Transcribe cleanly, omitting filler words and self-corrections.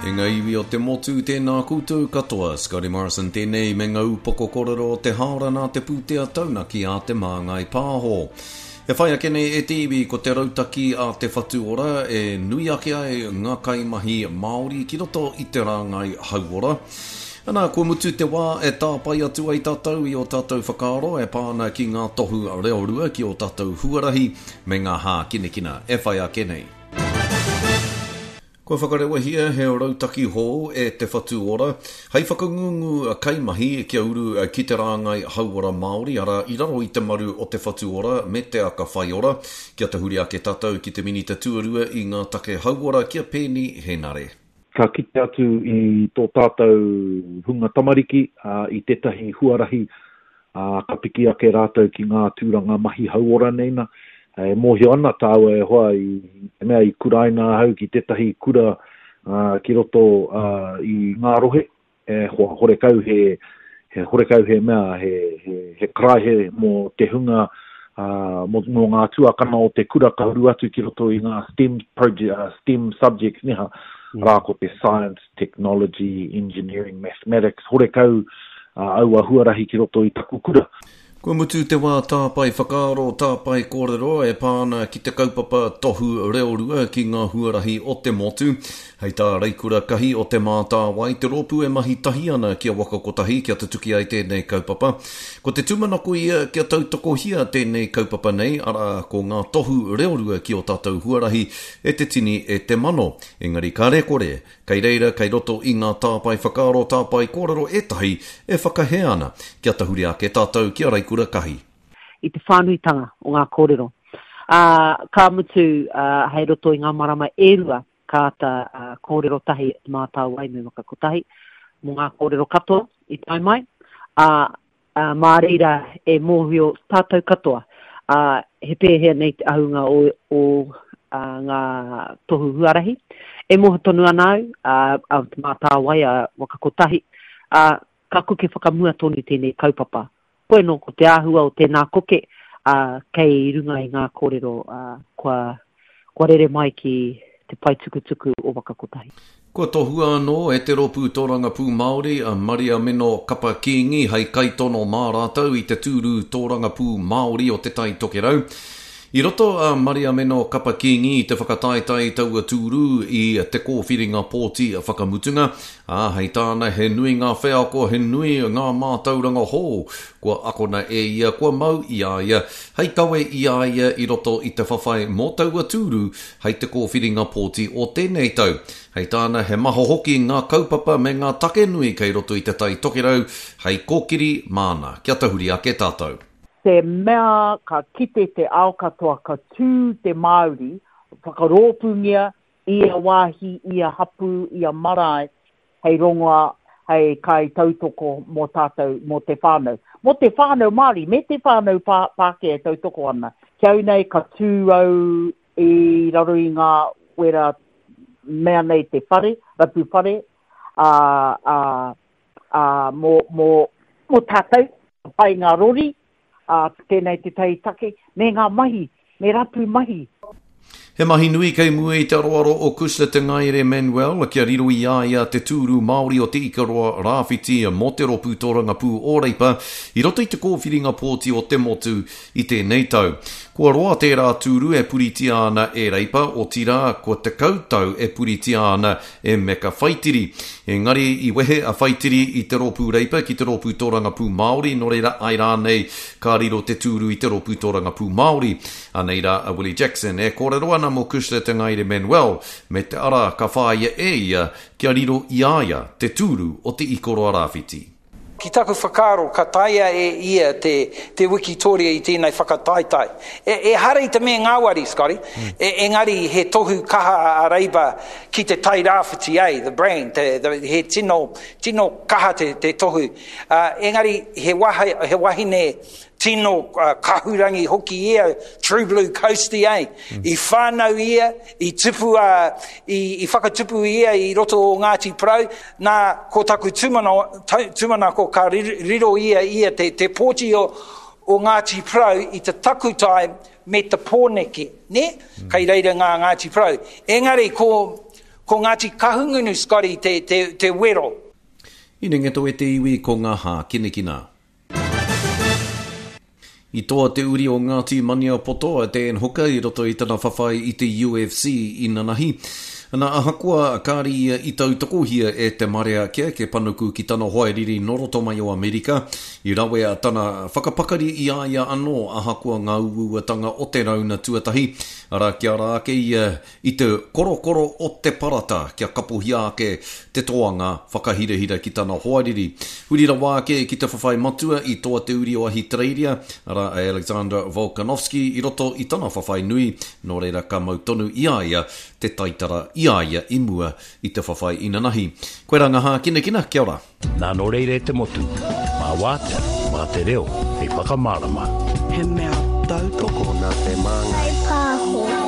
E ngā iwi o te motu, tēnā koutou katoa. Scotty Morrison tēnei me ngā upoko korero o te hāora nā te pūtea taunaki a Te Māngai Pāho. E whai ake nei e te iwi ko te rautaki a Te Whatu Ora e nui ake ai ngā kaimahi Māori ki roto i te rāngai hauora. Ana, kua mutu te wā e tāpae atu ai tātou i ō tātou whakaaro e pā ana ki ngā tohu reorua ki ō tātou huarahi me ngā hākinakina e whai ake nei. Kua whakarewahia he rautaki hou e Te Whatu Ora hei whakangungu kaimahi kia uru ki te rāngai hauora Māori, arā, i raro i te maru o Te Whatu Ora me Te Aka Whaiora. Kia tahuri ake tātou ki te Minita Tuarua i ngā take hauora ki a Peeni Henare. Ka kite atu i tō tātou hunga tamariki i tētahi huarahi ā, ka piki ake rātou ki ngā tūranga mahi hauora nei na. E mōhio ana tāua e hoa i te mea i kuraina ahau ki tētahi kura ki roto i ngā rohe, e hoa, horekau he, he horekau he mea, he, he, he karaehe mō te hunga, mō, mō ngā tuakana o te kura ka uru atu ki roto i ngā STEM project, STEM subjects neha, arā ko te science, technology, engineering, mathematics, horekau aua huarahi ki roto i taku kura. Kua mutu te wā tāpae whakaaro, tāpae kōrero e pā ana ki te kaupapa tohu reorua ki ngā huarahi o te motu. Hei tā Reikura Kahi o Te Mātāwai, te rōpū e mahi tahi ana ki a Waka Kotahi kia tutuki ai tēnei kaupapa. Ko te tūmanako ia kia tautokohia tēnei kaupapa nei, arā, ko ngā tohu reorua ki ō tātou huarahi e te tini e te mano. Engari kāre kore, kei reira kei roto i ngā tāpae whakaaro, tāpae kōrero ētahi e whakahē ana kia tahuri ake tātou ki a Raikura Kahi. I te whānuitanga o ngā kōrero. Ā, ka mutu, ā, hei roto i ngā marama e rua ka āta kōrero tahi Te Mātāwai me Waka Kotahi mō ngā kōrero katoa i tae mai, ā, ā, mā reira e mōhio tātou katoa, ā, he pēhea nei te ahunga o, o ā, ngā tohu huarahi. E mōhio tonu ana au, ā, a Te Mātāwai, a Waka Kotahi, ā, ka koke whakamua tonu tēnei kaupapa. Koe nō ko te āhua o tēnā koke, ā, kei runga i ngā kōrero, ā, kua, kua rere mai ki te pae tukutuku o Waka Kotahi. Kua tohua anō e te Rōpū Tōrangapū Māori a Mariameno Kapa Kīngi hei kaitono mā rātou i te tūru tōrangapū Māori o Te Tai Tokerau. I roto a Mariameno Kapa Kīngi i te whakataetae i taua tūru i te kōwhiringa pōti whakamutunga, ā, hei tāna he nui ngā wheako, he nui ngā mātauranga hou kua akona e ia, kua mau i a ia, hei kawe i a ia i roto i te whawhai mō taua tūru hei te kōwhiringa pōti o tēnei tau. Hei tāna he maha hoki ngā kaupapa me ngā take nui kei roto i Te Tai Tokerau hei kōkiri māna. Kia tahuri ake tātou. Te mea ka kite te ao katoa ka tū te Māori, whakarōpūngia ia wāhi, ia hapū, ia marae hei rongoa, hei kai tautoko mō tātou, mō te whānau. Mō te whānau Māori me te whānau Pākehā e tautoko ana. Ki au nei ka tū au i raro i ngā wera mea nei te whare, rapu whare, ā, ā, ā, mō, mō, mō tātou, pai ngā rori, ā, tēnei tētahi take, me ngā mahi, me rapu mahi. He mahi nui kei mua i te aroaro o Cushla Te Ngaere Manuel kia riro i a ia te tūru Māori o Te Ikaroa Rāwhiti mō te Rōpū Tōrangapū o Reipa i roto i te kōwhiringa pōti o te motu i tēnei tau. Kua roa tērā tūru e puritia ana e Reipa, otirā, kua 10 tau e puritia ana e Meka Whaitiri. Engari i wehe a Whaitiri i te Rōpū Reipa ki te Rōpū Tōrangapū Māori, nō reira āe rānei ka riro te tūru i te Rōpū Tōrangapū Māori. Anei rā a Willie Jackson e kōrero ana mō Cushla Te Ngaere Manuel me te ara ka whāia e ia kia riro i a ia te tūru o Te Ikoroa Rāwhiti. Ki taku whakaaro ka taea e ia te, te wikitoria i tēnei whakataetae. E, ehara i te mea ngāwari, Scotty, e, engari he tohu kaha a Reipa ki te Tai Rāwhiti, eh, the brand, te, the, he tino, tino kaha te, te tohu. Uh, engari he, waha, he wahine tino uh, kahurangi hoki ia, true blue coastie, eh? Mm. I whānau ia, i tupu a, i, i whakatupu ia i roto o Ngāti Porou, nā, ko taku tūmana, tūmanako ka riro ia ia te, te pōti o, o Ngāti Porou i te takutai me te Pōneke, ne? Mm. Kei reira ngā Ngāti Porou. Engari, ko, Ko Ngāti Kahungunu, Scotty, te, te, te wero. I Nengeto e te iwi ko ngā hākinakina. I toa te uri o Ngāti Maniapoto a Dan Hooker i roto i tana whawhai i te UFC inanahi. Na, ahakoa kāre ia i tautokohia e te marea kia eke panuku ki tana hoariri nō roto mai o Amerika, i rawea tana whakapakari i a ia anō ahakoa ngā uauatanga o te rauna tuatahi, arā kia ara ake ia I te korokoro o te parata kia kapohia ake te toanga whakahirahira ki tana hoariri. Huri rawa ake ki te whawhai matua i toa te uri o Ahitereiria, arā a Alexander Volkanovski i roto i tana whawhai nui, nō reira ka mau tonu i a ia te taitara i a ia i mua i te whawhai inanahi. Koirā ngā hākinakina, kia ora. Nā nō reira e te motu, mā Wātea, mā te reo hei whakamārama. He mea tautoko. Tokona te māngai. Whai pāho.